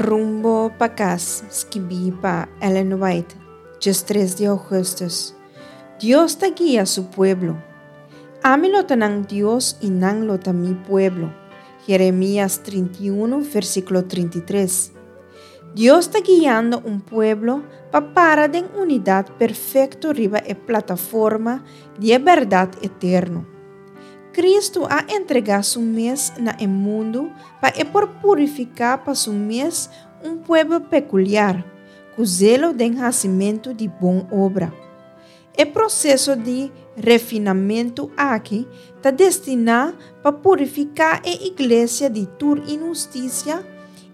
Rumbo pa kas, skibí pa Ellen White, 13 di ougùstùs. Dios ta guia su pueblo. Ami lo ta nan Dios i nan lo ta mi pueblo. Jeremias 31, versíkulo 33. Dios ta guiando un pueblo pa para den unidat perfekto riba e plataforma di e bèrdat eterno. Kristu a entregá su mes na e mundu pa e por purifiká pa su mes un pueblo pekuliar, ku zelo den hasimentu di bon obra. E proseso di refinamentu aki ta destiná pa purifiká e iglesia di tur inhustisia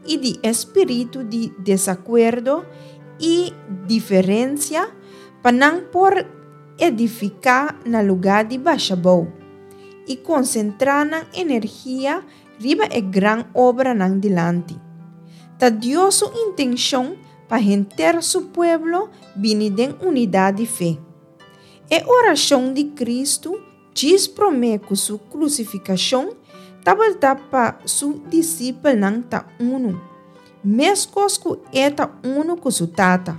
i di e spiritu di desakuerdo i diferensia pa nan por edifiká na lugá di basha bou i konsentrá nan energia riba e gran obranan dilanti. Ta Dios su intenshon pa henter su pueblo bini den unidat di fe. E orashon di Kristu djis promé ku su krusifikashon tabata pa su disipelnan ta unu, meskos ku e ta unu ku su Tata.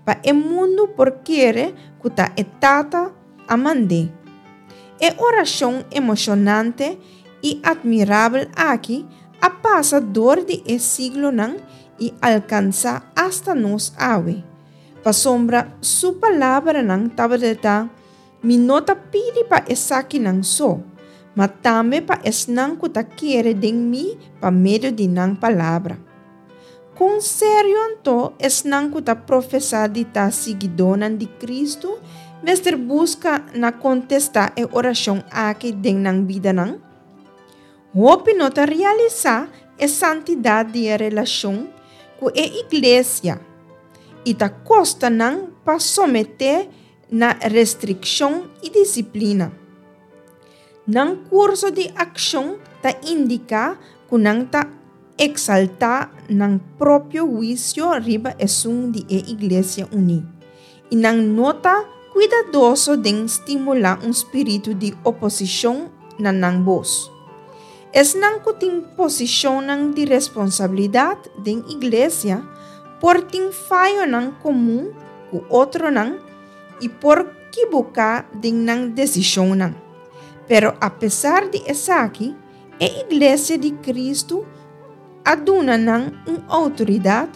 Pa e mundu por kere ku ta e Tata a mand'é. E orashon emoshonante i atmirabel aki a pasa dor di e siglonan i alkansá asta nos awe, pasobra su palabranan tabata ta, Mi no ta pidi pa esakinan so, ma tambe pa esnan ku ta kere den mi pa medio di nan palabra. Kon serio anto esnan ku ta profesá di ta siguidónan di Kristu mester buska na kontestá e orashon aki den nan bidanan? Hopi no ta realisá e santidat di e relashon ku e iglesia i ta kosta nan pa someté na restrikshon i disiplina. Nan kurso di akshon ta indiká ku nan ta eksaltá nan propio huisio riba esun di e Iglesia Uní, i nan no ta kuidadoso den stimulá un spiritu di oposishon na nan bos. Esnan ku tin posishonnan di responsabilidat den Iglesia por tin fayonan komun ku otronan i por kibuká den nan desishonnan. Pero apesar di esaki, e Iglesia di Kristu a duna nan un outoridat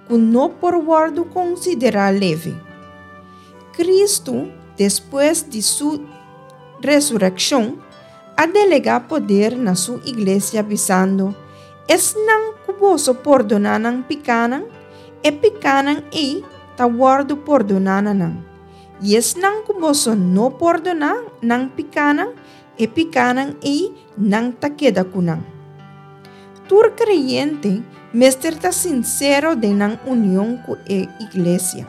ku no por wòrdu konsiderá leve. Kristu, despues di su resurekshon, a delegá poder na su iglesia bisando, Esnan ku boso pordoná nan pikánan, e pikánan ei ta wòrdu pordoná na nan. I esnan ku boso no pordoná nan pikánan, e pikánan ei nan ta keda ku nan. Tur kreyente mester ta sinsero den nan union ku e iglesia.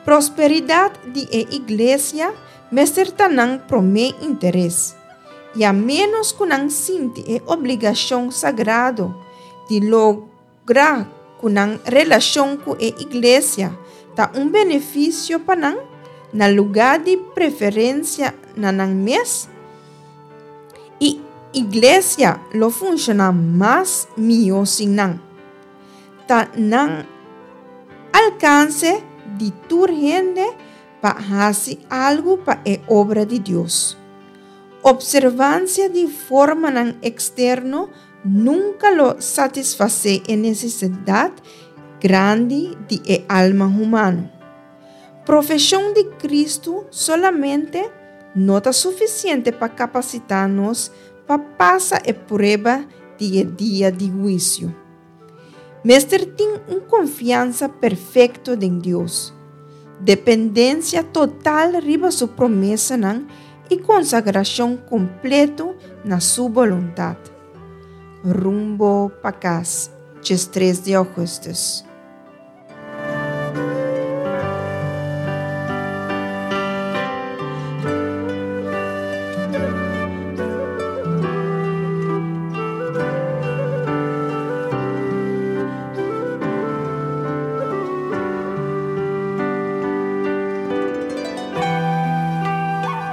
Prosperidat di e iglesia mester ta nan promé interes, i a ménos ku nan sinti e obligashon sagrado di logra ku nan relashon ku e iglesia ta un benefisio pa nan, na lugá di preferensia na nan mes, e iglesia lo funshoná mas mihó sin nan. Ta nan alkanse di tur hende pa hasi algu pa e obra di Dios. Opservansia di formanan eksterno nunka lo satisfasé e nesesidat grandi di e alma humano. Profeshon di Kristu solamente no ta sufisiente pa kapasitá nos pa pasa e prueba di e dia di huisio. Mester tin un konfiansa perfekto den Dios, dependensia total riba su promesanan i konsagrashon kompleto na su boluntat. Rumbo pa kas, 13 di ougùstùs.